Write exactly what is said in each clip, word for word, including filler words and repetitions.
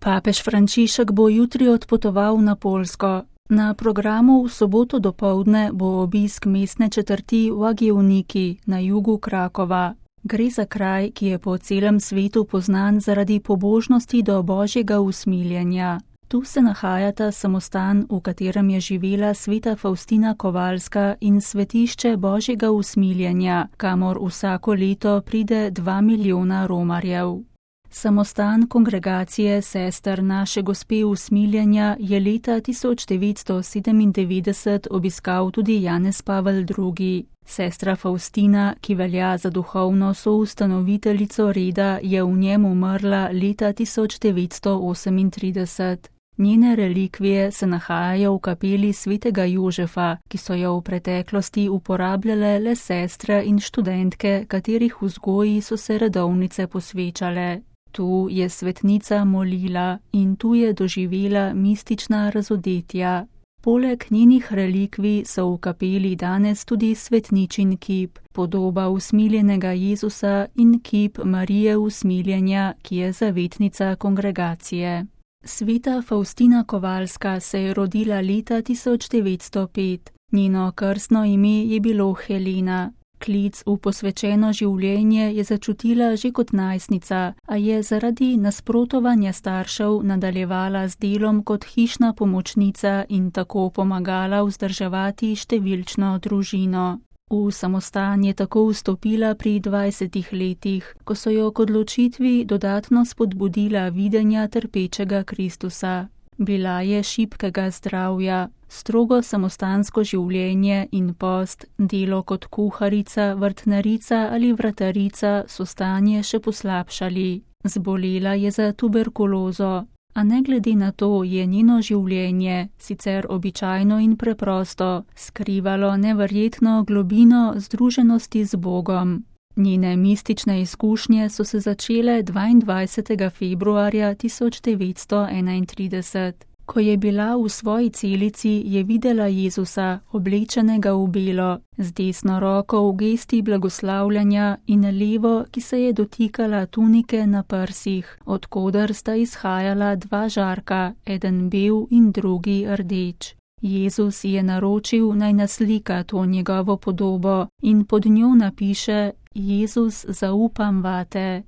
Papež Frančišek bo jutri odpotoval na Poljsko. Na programu v soboto dopoldne bo obisk mestne četrti Łagiewnik na jugu Krakova. Gre za kraj, ki je po celem svetu poznan zaradi pobožnosti do Božjega usmiljenja. Tu se nahajata samostan, v katerem je živela sveta Faustina Kowalska, in svetišče Božjega usmiljenja, kamor vsako leto pride dva milijona romarjev. Samostan kongregacije sester Naše Gospe usmiljenja je leta tisoč devetsto sedemindevetdeset obiskal tudi Janez Pavel drugi. Sestra Faustina, ki velja za duhovno soustanoviteljico reda, je v njem umrla leta tisoč devetsto osemintrideset. Njene relikvije se nahajajo v kapeli svetega Jožefa, ki so jo v preteklosti uporabljale le sestre in študentke, katerih vzgoji so se redovnice posvečale. Tu je svetnica molila in tu je doživela mistična razodetja. Poleg njenih relikvij so v kapeli danes tudi svetničin kip, podoba usmiljenega Jezusa in kip Marije usmiljenja, ki je zavetnica kongregacije. Sveta Faustina Kowalska se je rodila leta tisoč devetsto pet. Njeno krstno ime je bilo Helena. Klic v posvečeno življenje je začutila že kot najstnica, a je zaradi nasprotovanja staršev nadaljevala z delom kot hišna pomočnica in tako pomagala vzdrževati številčno družino. V samostan je tako vstopila pri dvajsetih letih, ko so jo k odločitvi dodatno spodbudila videnja trpečega Kristusa. Bila je šibkega zdravja, strogo samostansko življenje in post, delo kot kuharica, vrtnarica ali vratarica so stanje še poslabšali. Zbolela je za tuberkulozo, a ne glede na to je njeno življenje, sicer običajno in preprosto, skrivalo neverjetno globino združenosti z Bogom. Njene mistične izkušnje so se začele dvaindvajsetega februarja tisoč devetsto enaintrideset. Ko je bila v svoji celici, je videla Jezusa, oblečenega v belo, z desno roko v gesti blagoslavljanja in levo, ki se je dotikala tunike na prsih, od koder sta izhajala dva žarka, eden bel in drugi rdeč. Jezus je naročil, naj naslika to njegovo podobo in pod njo napiše: Jezus, zaupam vate.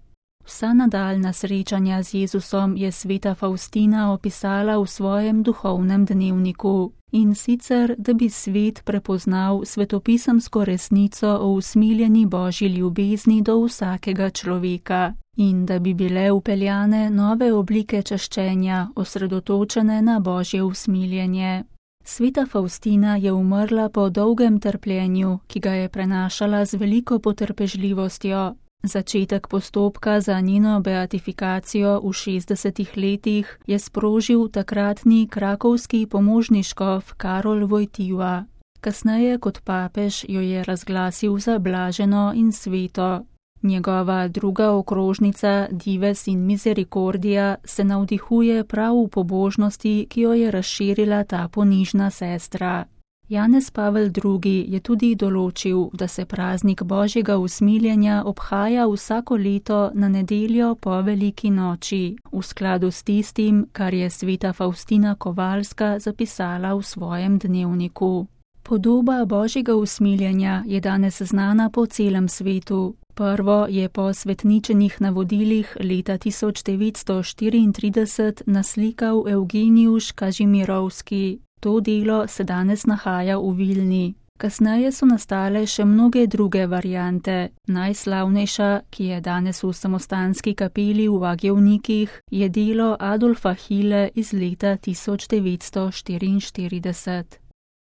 Vsa nadaljna srečanja z Jezusom je sveta Faustina opisala v svojem duhovnem dnevniku. In sicer, da bi svet prepoznal svetopisemsko resnico o usmiljeni Božji ljubezni do vsakega človeka in da bi bile vpeljane nove oblike čaščenja, osredotočene na Božje usmiljenje. Sveta Faustina je umrla po dolgem trpljenju, ki ga je prenašala z veliko potrpežljivostjo. Začetek postopka za njeno beatifikacijo v šestdesetih letih je sprožil takratni krakovski pomožni škof Karol Wojtyła. Kasneje kot papež jo je razglasil za blaženo in sveto. Njegova druga okrožnica Dives in Misericordia se navdihuje prav v pobožnosti, ki jo je razširila ta ponižna sestra. Janez Pavel drugi je tudi določil, da se praznik Božjega usmiljenja obhaja vsako leto na nedeljo po veliki noči, v skladu s tistim, kar je sveta Faustina Kowalska zapisala v svojem dnevniku. Podoba Božjega usmiljenja je danes znana po celem svetu. Prvo je po svetničenih navodilih leta tisoč devetsto štiriintrideset naslikal Evgenijus Kažimirovski. To delo se danes nahaja v Vilni. Kasneje so nastale še mnoge druge variante. Najslavnejša, ki je danes v samostanski kapeli v Łagiewnikih, je delo Adolfa Hille iz leta tisoč devetsto štiriinštirideset.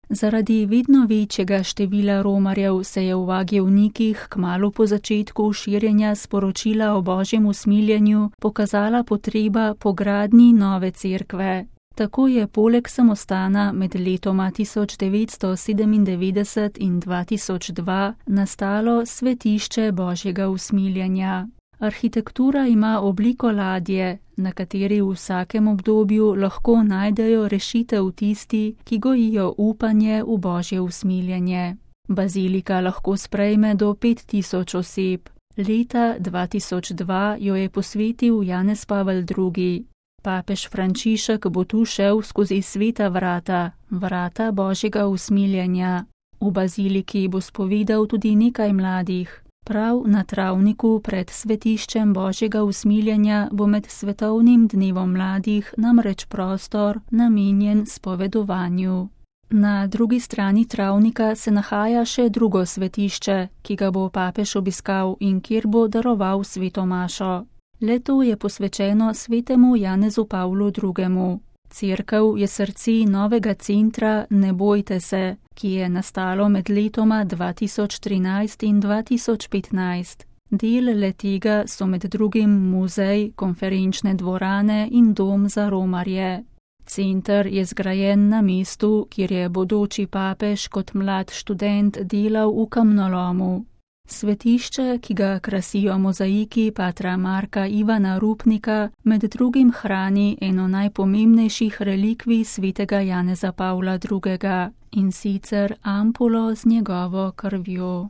Zaradi vedno večjega števila romarjev se je v Łagiewnikih kmalu po začetku širjenja sporočila o Božjem usmiljenju pokazala potreba po gradnji nove cerkve. Tako je poleg samostana med letoma tisoč devetsto sedemindevetdeset in dva tisoč dva nastalo svetišče Božjega usmiljenja. Arhitektura ima obliko ladje, na kateri v vsakem obdobju lahko najdejo rešitev tisti, ki gojijo upanje v Božje usmiljenje. Bazilika lahko sprejme do pet tisoč oseb. Leta dva tisoč dva jo je posvetil Janez Pavel drugi. Papež Frančišek bo tu šel skozi sveta vrata, vrata Božjega usmiljenja. V baziliki bo spovedal tudi nekaj mladih. Prav na travniku pred svetiščem Božjega usmiljenja bo med svetovnim dnevom mladih namreč prostor namenjen spovedovanju. Na drugi strani travnika se nahaja še drugo svetišče, ki ga bo papež obiskal in kjer bo daroval sveto mašo. Le-to je posvečeno svetemu Janezu Pavlu drugemu. Cerkev je srce novega centra Ne bojte se, ki je nastalo med letoma dva tisoč trinajst in dva tisoč petnajst. Del le-tega so med drugim muzej, konferenčne dvorane in dom za romarje. Center je zgrajen na mestu, kjer je bodoči papež kot mlad študent delal v kamnolomu. Svetišče, ki ga krasijo mozaiki patra Marka Ivana Rupnika, med drugim hrani eno najpomembnejših relikvij svetega Janeza Pavla drugega, in sicer ampulo z njegovo krvjo.